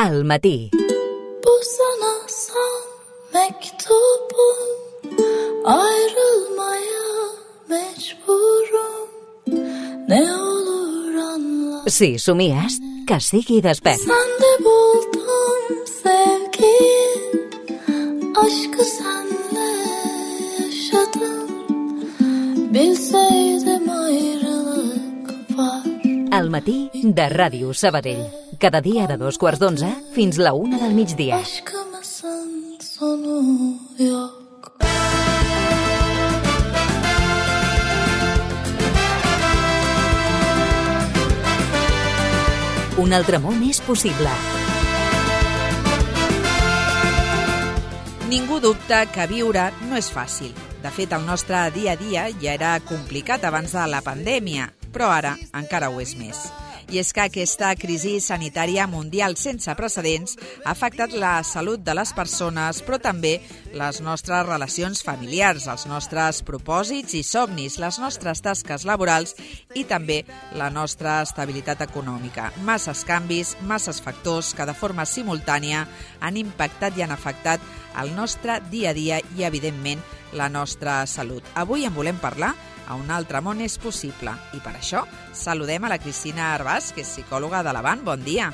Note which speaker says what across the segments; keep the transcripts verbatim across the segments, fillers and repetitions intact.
Speaker 1: al matí.
Speaker 2: Bu sana son mektubum, ayrılmaya mecburum, ne olur anla.
Speaker 1: Si somies, que sigui despert.
Speaker 2: Sende buldum sevgiyi, aşkı senle yaşadım, bilseydim ayrılık var.
Speaker 1: Al matí de Ràdio Sabadell. Cada dia de dos quarts d'onze fins la una del migdia.
Speaker 2: Aşkımızın sonu yok.
Speaker 1: Un altre món és possible.
Speaker 3: Ningú dubta que viure no és fàcil. De fet, el nostre dia a dia ja era complicat abans de la pandèmia, però ara encara ho és més. I és que aquesta crisi sanitària mundial sense precedents ha afectat la salut de les persones, però també les nostres relacions familiars, els nostres propòsits i somnis, les nostres tasques laborals i també la nostra estabilitat econòmica. Masses canvis, masses factors que de forma simultània han impactat i han afectat el nostre dia a dia i, evidentment, la nostra salut. Avui en volem parlar a Un altre món és possible. I per això saludem a la Cristina Arbàs, que és psicòloga de l'Avant. Bon dia.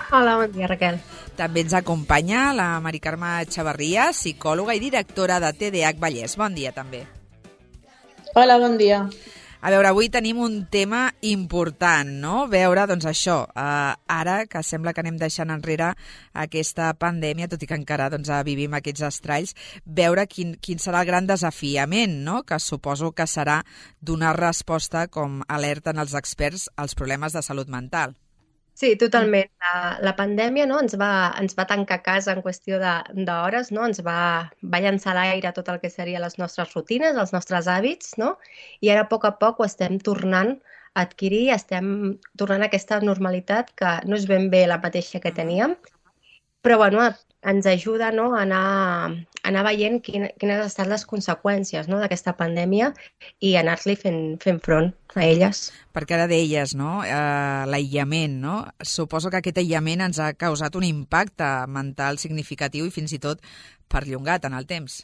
Speaker 4: Hola, bon dia, Raquel.
Speaker 3: També ens acompanya la Mari Carme Xavarria, psicòloga i directora de T D A H Vallès. Bon dia, també.
Speaker 5: Hola, bon dia.
Speaker 3: A veure, avui tenim un tema important, no? Veure, doncs això, eh, ara que sembla que anem deixant enrere aquesta pandèmia, tot i que encara doncs, vivim aquests estralls, veure quin, quin serà el gran desafiament, no? Que suposo que serà donar resposta, com alerten els experts, als problemes de salut mental.
Speaker 4: Sí, totalment. La, la pandèmia, no, ens, va, ens va tancar a casa en qüestió d'hores, no? Ens va, va llançar a l'aire tot el que serien les nostres rutines, els nostres hàbits, no? I ara a poc a poc ho estem tornant a adquirir, estem tornant a aquesta normalitat que no és ben bé la mateixa que teníem, però bueno, ens ajuda, no, a anar, a anar veient quin, quines han estat les conseqüències, no, d'aquesta pandèmia i anar-li fent, fent front a elles.
Speaker 3: Perquè ara deies, no? Uh, l'aïllament, no? Suposo que aquest aïllament ens ha causat un impacte mental significatiu i fins i tot perllongat en el temps.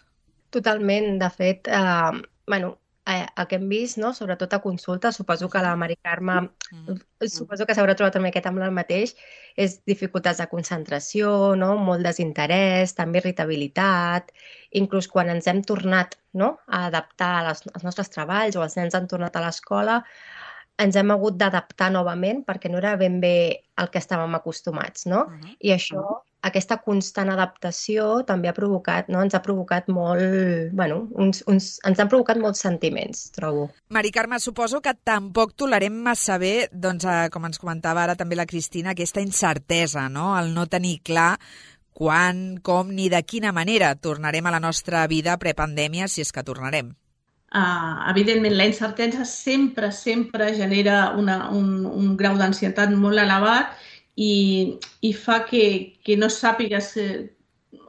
Speaker 4: Totalment. De fet, eh, bueno, eh, el que hem vist, no? Sobretot a consulta, suposo que la Mari Carme, mm. suposo que s'haurà trobat també aquest amb el mateix, és dificultats de concentració, no? Molt desinterès, també irritabilitat, inclús quan ens hem tornat, no, a adaptar als, als nostres treballs o els nens han tornat a l'escola, ens hem hagut d'adaptar novament perquè no era ben bé el que estàvem acostumats, no? Uh-huh. I això, aquesta constant adaptació també ha provocat, no? Ens ha provocat molt, bueno, uns, uns, ens han provocat molts sentiments, trobo.
Speaker 3: Mari Carme, suposo que tampoc tolerem massa bé, doncs, eh, com ens comentava ara també la Cristina, aquesta incertesa, no? El no tenir clar quan, com ni de quina manera tornarem a la nostra vida prepandèmia, si és que tornarem.
Speaker 5: Uh, evidentment, la incertesa sempre, sempre genera una, un, un grau d'ansietat molt elevat i, i fa que, que no sàpigues, eh,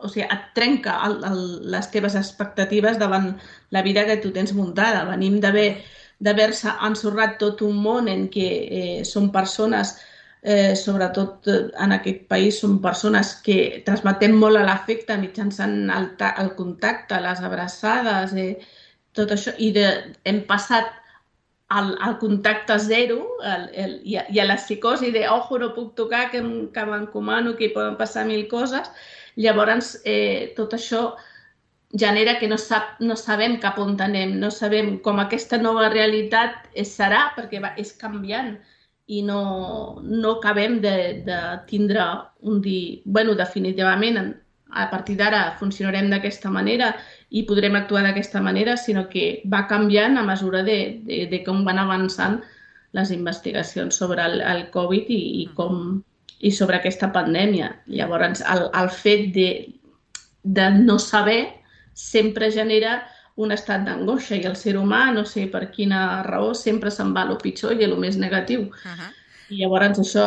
Speaker 5: o sigui, et trenca el, el, les teves expectatives davant la vida que tu tens muntada. Venim d'haver-se ensorrat tot un món en què eh, són persones, eh, sobretot en aquest país, són persones que transmetem molt a l'afecte mitjançant el, el contacte, les abraçades, eh, tot això, i de, hem passat al, al contacte zero el, el, i, a, i a la psicosi de ojo, no puc tocar, que, que m'encomano, que hi poden passar mil coses. Llavors, eh, tot això genera que no, sap, no sabem cap on anem, no sabem com aquesta nova realitat serà, perquè va, és canviant i no, no acabem de, de tindre un dia... Bueno, definitivament, a partir d'ara funcionarem d'aquesta manera i podrem actuar d'aquesta manera, sinó que va canviant a mesura de, de, de com van avançant les investigacions sobre el, el Covid i, i, com, i sobre aquesta pandèmia. Llavors, el, el fet de, de no saber sempre genera un estat d'angoixa i el ser humà, no sé per quina raó, sempre se'n va a lo pitjor i a lo més negatiu. Uh-huh. I llavors això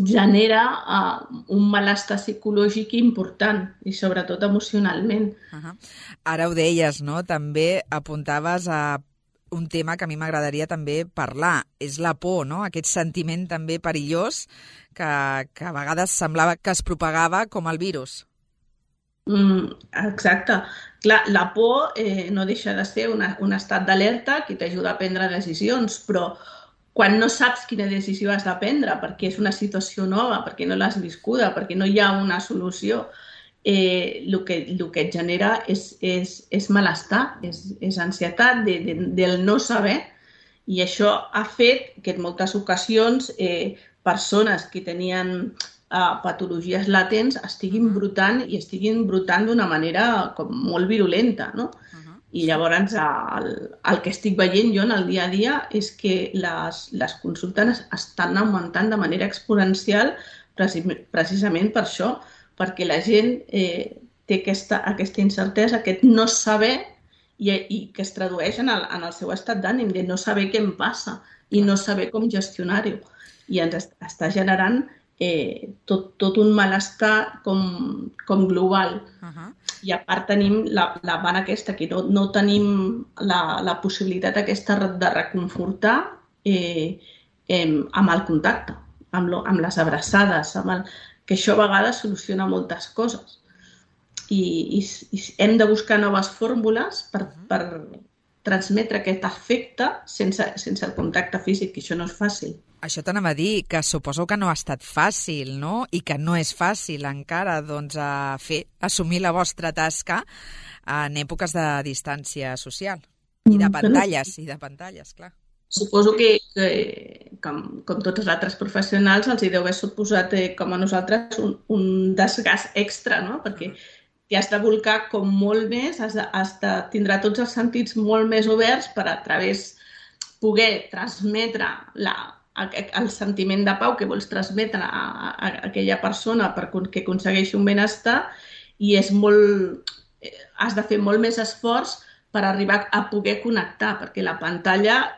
Speaker 5: genera uh, un malestar psicològic important i sobretot emocionalment.
Speaker 3: Uh-huh. Ara ho deies, no? També apuntaves a un tema que a mi m'agradaria també parlar. És la por, no? Aquest sentiment també perillós que, que a vegades semblava que es propagava com el virus.
Speaker 5: Mm, exacte. Clar, la por eh, no deixa de ser una, un estat d'alerta que t'ajuda a prendre decisions, però quan no saps quina decisió has de prendre, perquè és una situació nova, perquè no l'has viscuda, perquè no hi ha una solució, eh, el, que, el que et genera és, és, és malestar, és, és ansietat de, de, del no saber, i això ha fet que en moltes ocasions eh, persones que tenien eh, patologies latents estiguin brutant i estiguin brutant d'una manera com molt virulenta, no? Uh-huh. I llavors el, el que estic veient jo en el dia a dia és que les, les consultes estan augmentant de manera exponencial precisament per això, perquè la gent eh, té aquesta, aquesta incertesa, aquest no saber i, i que es tradueix en el, en el seu estat d'ànim, de no saber què em passa i no saber com gestionar-ho. I ens està generant eh, tot, tot un malestar com, com global. Uh-huh. I a part tenim la, la vana aquesta, que no, no tenim la, la possibilitat aquesta de reconfortar eh, eh, amb el contacte, amb, lo, amb les abraçades, amb el, que això a vegades soluciona moltes coses. I, i, i hem de buscar noves fórmules per, per transmetre aquest afecte sense, sense el contacte físic, que això no és fàcil.
Speaker 3: Això t'anava a dir, que suposo que no ha estat fàcil, no? I que no és fàcil encara doncs, a fer, assumir la vostra tasca en èpoques de distància social. I de pantalles, i de pantalles, clar.
Speaker 5: Suposo que, que com, com tots els altres professionals, els hi deu haver suposat, eh, com a nosaltres, un, un desgast extra, no? Perquè t'hi has de volcar com molt més, has de, has de tindrà tots els sentits molt més oberts per a través poder transmetre la, el sentiment de pau que vols transmetre a, a, a aquella persona per que aconsegueixi un benestar, i és molt, has de fer molt més esforç per arribar a poder connectar, perquè la pantalla,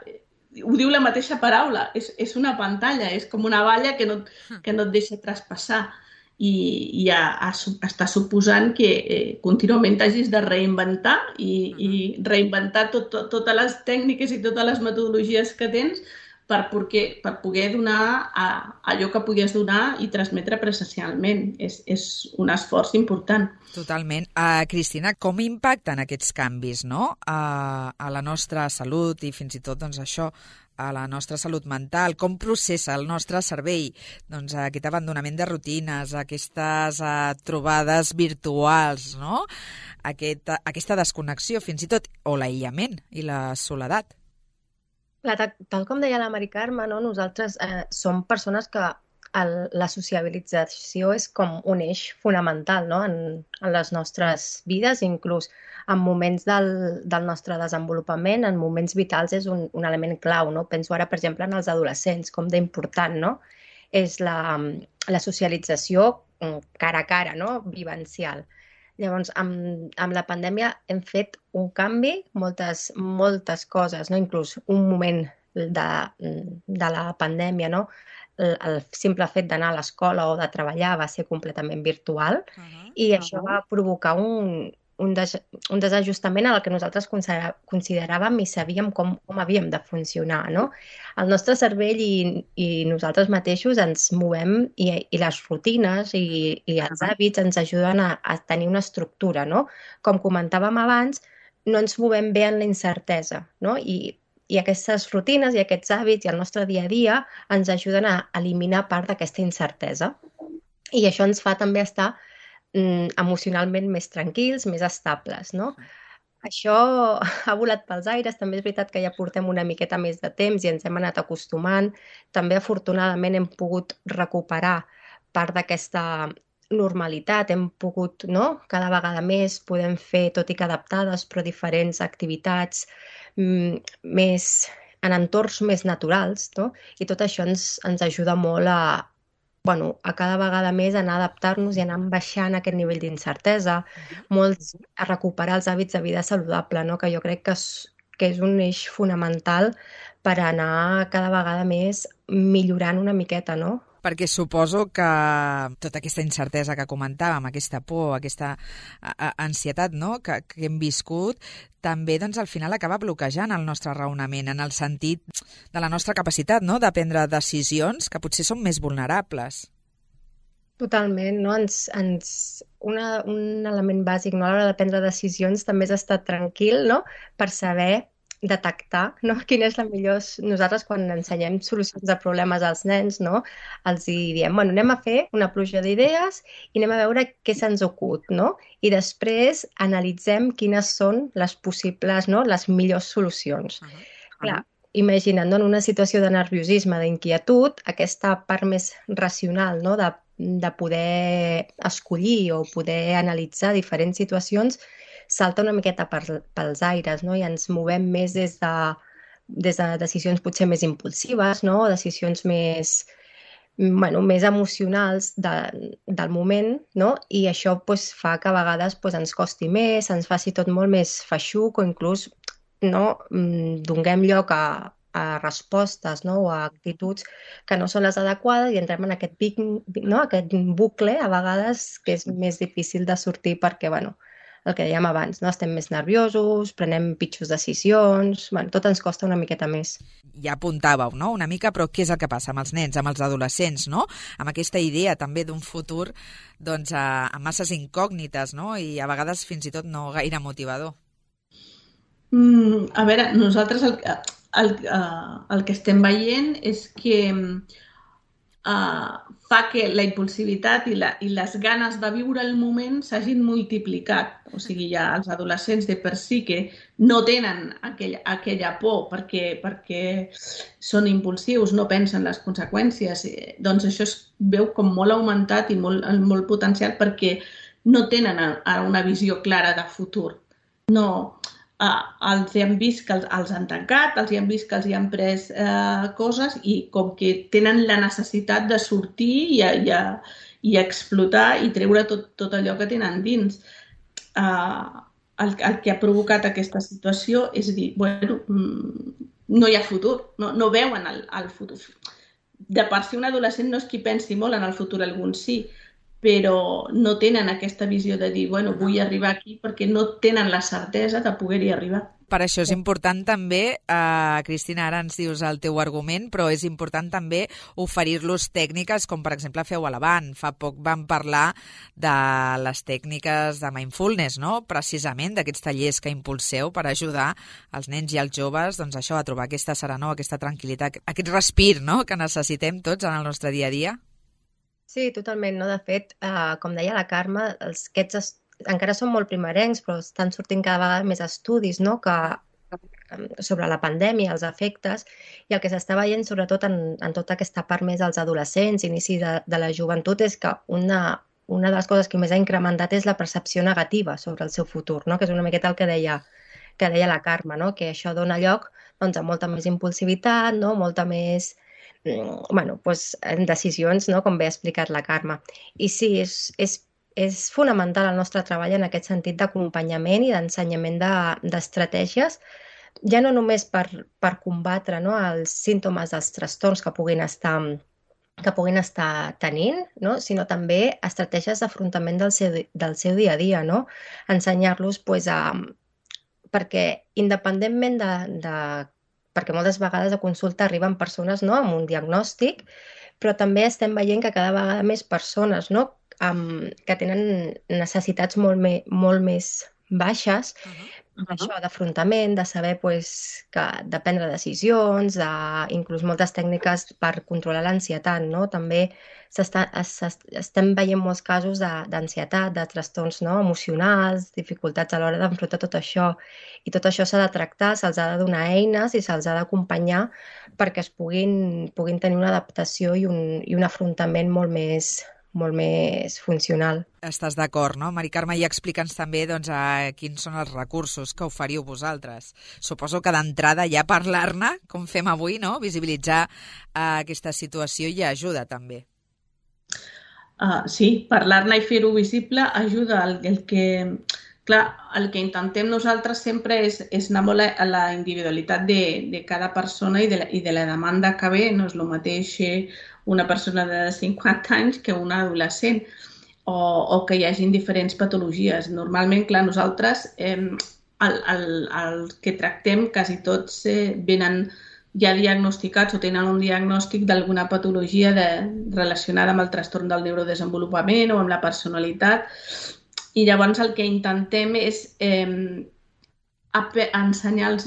Speaker 5: ho diu la mateixa paraula, és, és una pantalla, és com una valla que no, que no et deixa traspassar, i, i a, a, està suposant que eh, contínuament t'hagis de reinventar i, i reinventar tot, tot, totes les tècniques i totes les metodologies que tens per, perquè, per poder donar a, allò que podies donar i transmetre presencialment. És, és un esforç important.
Speaker 3: Totalment. Uh, Cristina, com impacten aquests canvis, no? Uh, a la nostra salut i fins i tot doncs, això, a la nostra salut mental? Com processa el nostre cervell doncs, aquest abandonament de rutines, aquestes uh, trobades virtuals, no? Aquest, uh, aquesta desconnexió fins i tot, o l'aïllament i la soledat?
Speaker 4: Clar, tal, tal com deia la Mari Carme, no? Nosaltres eh, som persones que el, la sociabilització és com un eix fonamental, no? en, en les nostres vides, inclús en moments del, del nostre desenvolupament, en moments vitals és un, un element clau. No? Penso ara, per exemple, en els adolescents, com d'important, no? És la, la socialització cara a cara, no? Vivencial. Llavors, amb, amb la pandèmia hem fet un canvi, moltes, moltes coses, no? Inclús un moment de, de la pandèmia, no? El, el simple fet d'anar a l'escola o de treballar va ser completament virtual, uh-huh. i això uh-huh. va provocar un, un, des, un desajustament en el que nosaltres consideràvem i sabíem com, com havíem de funcionar, no? El nostre cervell i, i nosaltres mateixos ens movem i, i les rutines i, i els hàbits ens ajuden a, a tenir una estructura, no? Com comentàvem abans, no ens movem bé en la incertesa, no? I, i aquestes rutines i aquests hàbits i el nostre dia a dia ens ajuden a eliminar part d'aquesta incertesa. I això ens fa també estar mm, emocionalment més tranquils, més estables, no? Això ha volat pels aires, també és veritat que ja portem una miqueta més de temps i ens hem anat acostumant. També, afortunadament, hem pogut recuperar part d'aquesta normalitat, hem pogut, no? Cada vegada més podem fer, tot i que adaptades, però diferents activitats mm, més en entorns més naturals, no? I tot això ens, ens ajuda molt a, bueno, a cada vegada més anar a adaptar-nos i anar baixant aquest nivell d'incertesa, molts a recuperar els hàbits de vida saludable, no? Que jo crec que és, que és un eix fonamental per anar cada vegada més millorant una miqueta, no?
Speaker 3: perquè suposo que tota aquesta incertesa que comentàvem, aquesta por, aquesta ansietat, no?, que, que hem viscut, també doncs, al final acaba bloquejant el nostre raonament en el sentit de la nostra capacitat, no?, de prendre decisions que potser són més vulnerables.
Speaker 4: Totalment, no? Ens, ens, una, un element bàsic, no? A l'hora de prendre decisions també és estar tranquil, no?, per saber detectar, no?, quina és la millor... Nosaltres, quan ensenyem solucions de problemes als nens, no?, els hi diem, bueno, anem a fer una pluja d'idees i anem a veure què se'ns acut, no? I després analitzem quines són les possibles, no?, les millors solucions. Uh -huh. Clar, imagina't, no?, en una situació de nerviosisme, d'inquietud, aquesta part més racional, no?, de, de poder escollir o poder analitzar diferents situacions salta una miqueta per, pels aires, no?, i ens movem més des de, des de decisions potser més impulsives, no?, o decisions més, bueno, més emocionals de, del moment, no?, i això pues, fa que a vegades pues, ens costi més, ens faci tot molt més feixuc o inclús no, donem lloc a, a respostes, no?, o a actituds que no són les adequades i entrem en aquest, pic, no?, aquest bucle a vegades que és més difícil de sortir perquè, bueno, el que dèiem abans, no? Estem més nerviosos, prenem pitjors decisions, bueno, tot ens costa una miqueta més.
Speaker 3: Ja apuntàveu, no?, una mica, però què és el que passa amb els nens, amb els adolescents, no?, amb aquesta idea també d'un futur doncs, amb masses incògnites, no?, i a vegades fins i tot no gaire motivador.
Speaker 5: Mm, a veure, nosaltres el, el, el que estem veient és que uh, fa que la impulsivitat i, la, i les ganes de viure el moment s'hagin multiplicat. O sigui, ja els adolescents de per si que no tenen aquell, aquella por perquè, perquè són impulsius, no pensen les conseqüències, doncs això es veu com molt augmentat i molt, molt potencial perquè no tenen ara una visió clara de futur. No... Uh, els han vist que els, els han tancat, els han vist que els hi han pres uh, coses i com que tenen la necessitat de sortir i, i, i explotar i treure tot, tot allò que tenen dins. Uh, el, el que ha provocat aquesta situació és dir, bueno, no hi ha futur, no, no veuen el, el futur. De per si un adolescent no és qui pensi molt en el futur, alguns sí, però no tenen aquesta visió de dir, bueno, vull arribar aquí perquè no tenen la certesa de poder-hi arribar.
Speaker 3: Per això és important també, eh, Cristina, ara ens dius el teu argument, però és important també oferir-los tècniques com, per exemple, feu a l'Avant. Fa poc vam parlar de les tècniques de mindfulness, no?, precisament d'aquests tallers que impulseu per ajudar els nens i els joves doncs, això, a trobar aquesta serenor, aquesta tranquil·litat, aquest respir, no?, que necessitem tots en el nostre dia a dia.
Speaker 4: Sí, totalment. No? De fet, eh, com deia la Carme, els, aquests encara són molt primerencs, però estan sortint cada vegada més estudis, no?, que, sobre la pandèmia, els efectes, i el que s'està veient, sobretot en, en tota aquesta part més dels adolescents, inici de, de la joventut, és que una, una de les coses que més ha incrementat és la percepció negativa sobre el seu futur, no?, que és una miqueta el que deia, que deia la Carme, no?, que això dona lloc doncs, a molta més impulsivitat, no?, molta més... bueno, doncs, en decisions, no?, com bé ha explicat la Carme. I sí, és, és, és fonamental el nostre treball en aquest sentit d'acompanyament i d'ensenyament d'estratègies, de, ja no només per, per combatre, no?, els símptomes dels trastorns que puguin estar, que puguin estar tenint, no?, sinó també estratègies d'afrontament del, seu, del seu dia a dia, no?, ensenyar-los pues, a... perquè independentment de, de perquè moltes vegades a consulta arriben persones, no?, amb un diagnòstic, però també estem veient que cada vegada més persones, no?, amb, que tenen necessitats molt, me, molt més baixes, uh-huh. això d'afrontament, de saber pues, que, de prendre decisions, de, inclús moltes tècniques per controlar l'ansietat, no? També s'està, estem veient molts casos d'ansietat, de, de trastorns, no?, emocionals, dificultats a l'hora d'enfrontar tot això, i tot això s'ha de tractar, se'ls ha de donar eines i se'ls ha d'acompanyar perquè es puguin, puguin tenir una adaptació i un, i un afrontament molt més, molt més funcional.
Speaker 3: Estàs d'acord, no? Mari Carme, i explica'ns també doncs, a quins són els recursos que oferiu vosaltres. Suposo que d'entrada ja parlar-ne, com fem avui, no?, visibilitzar uh, aquesta situació i ajuda també.
Speaker 5: Uh, sí, parlar-ne i fer-ho visible ajuda. El, el que Clar, el que intentem nosaltres sempre és, és anar molt a la individualitat de, de cada persona i de, la, i de la demanda que ve. No és el mateix una persona de cinquanta anys que una adolescent, o, o que hi hagi diferents patologies. Normalment, clar, nosaltres eh, el, el, el que tractem quasi tots eh, venen ja diagnosticats o tenen un diagnòstic d'alguna patologia de, relacionada amb el trastorn del neurodesenvolupament o amb la personalitat. I llavors el que intentem és eh, ensenyar-los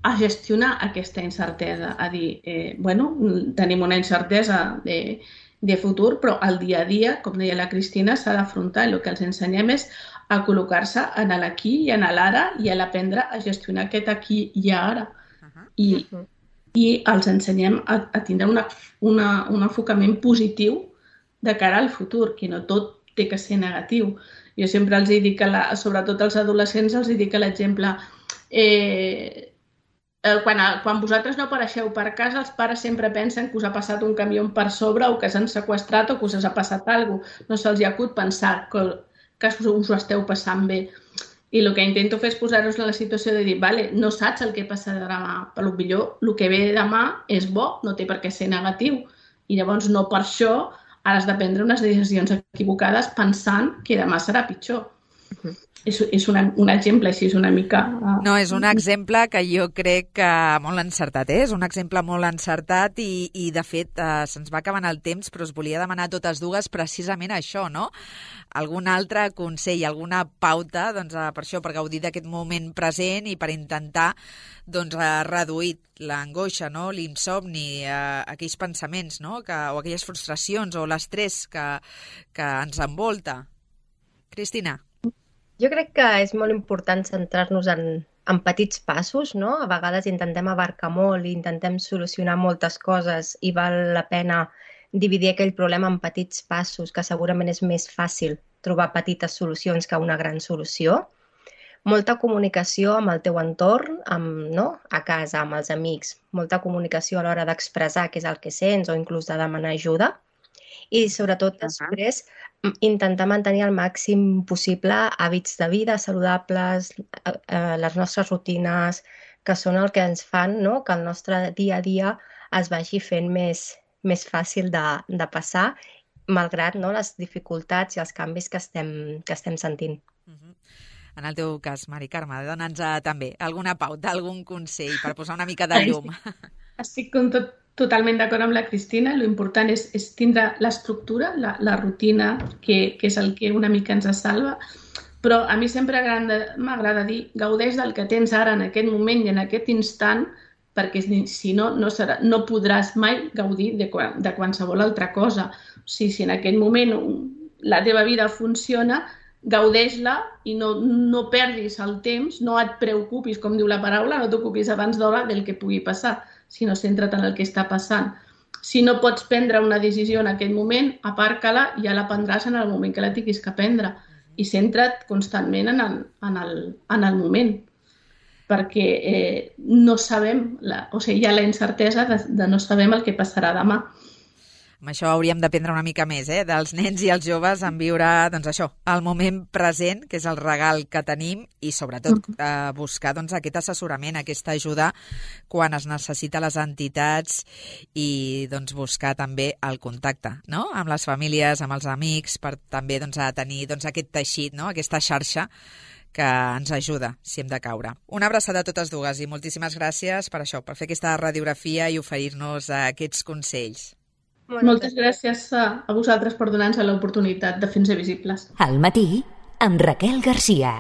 Speaker 5: a gestionar aquesta incertesa, a dir, eh, bueno, tenim una incertesa de, de futur, però al dia a dia, com deia la Cristina, s'ha d'afrontar, i el que els ensenyem és a col·locar-se en l'aquí i en l'ara i a aprendre a gestionar aquest aquí i ara. I, i els ensenyem a, a tindre una, una, un enfocament positiu de cara al futur, que no tot té que ser negatiu. Jo sempre els dic, que la, sobretot als adolescents, els dic que l'exemple, eh, quan, quan vosaltres no apareixeu per casa, els pares sempre pensen que us ha passat un camió per sobre o que s'han seqüestrat o que us ha passat alguna cosa. No se'ls acut pensar que, que us ho esteu passant bé. I el que intento fer és posar-vos en la situació de dir, vale, no saps el que passarà demà, però potser el que ve demà és bo, no té per què ser negatiu. I llavors no per això ara has de prendre unes decisions equivocades pensant que demà serà pitjor. Uh-huh. És, és una, un exemple així, és una mica... Uh...
Speaker 3: No, és un exemple que jo crec que molt encertat, eh? És un exemple molt encertat i, i de fet, uh, se'ns va acabant el temps, però us volia demanar totes dues precisament això, no? Algun altre consell, alguna pauta, doncs, uh, per això, per gaudir d'aquest moment present i per intentar doncs, uh, reduir l'angoixa, no? L'insomni, uh, aquells pensaments, no? Que, o aquelles frustracions o l'estrès que, que ens envolta. Cristina?
Speaker 4: Jo crec que és molt important centrar-nos en, en petits passos, no? A vegades intentem abarcar molt i intentem solucionar moltes coses i val la pena dividir aquell problema en petits passos, que segurament és més fàcil trobar petites solucions que una gran solució. Molta comunicació amb el teu entorn, amb, no? A casa, amb els amics. Molta comunicació a l'hora d'expressar què és el que sents o inclús de demanar ajuda. I sobretot després intentar mantenir al màxim possible hàbits de vida saludables, eh, les nostres rutines, que són el que ens fan, no? Que el nostre dia a dia es vagi fent més, més fàcil de, de passar, malgrat, no, les dificultats i els canvis que estem, que estem sentint.
Speaker 3: Uh-huh. En el teu cas, Mari Carme, dona'ns uh, també alguna pauta, algun consell per posar una mica de llum.
Speaker 5: Estic com tot totalment d'acord amb la Cristina. L'important és, és tindre l'estructura, la, la rutina, que, que és el que una mica ens salva. Però a mi sempre m'agrada dir, gaudeix del que tens ara en aquest moment i en aquest instant, perquè si no, no, serà, no podràs mai gaudir de, de qualsevol altra cosa. O sigui, si en aquest moment la teva vida funciona, gaudeix-la i no, no perdis el temps, no et preocupis, com diu la paraula, no t'ocupis abans d'hora del que pugui passar, sinó centra't en el que està passant. Si no pots prendre una decisió en aquest moment, aparca-la i ja la prendràs en el moment que la tinguis que prendre. I centra't constantment en el, en el, en el moment, perquè eh, no sabem, la, o sigui, hi ha la incertesa de, de no saber el que passarà demà.
Speaker 3: Amb això hauríem d'aprendre una mica més, eh? Dels nens i els joves en viure, doncs això, el moment present, que és el regal que tenim, i sobretot eh, buscar doncs, aquest assessorament, aquesta ajuda quan es necessita les entitats i doncs, buscar també el contacte, no? Amb les famílies, amb els amics, per també doncs, a tenir doncs, aquest teixit, no? Aquesta xarxa que ens ajuda si hem de caure. Una abraçada a totes dues i moltíssimes gràcies per això, per fer aquesta radiografia i oferir-nos aquests consells.
Speaker 5: Moltes gràcies a, a vosaltres per donar-nos l'oportunitat de fer-nos visibles.
Speaker 1: Al matí, amb Raquel Garcia.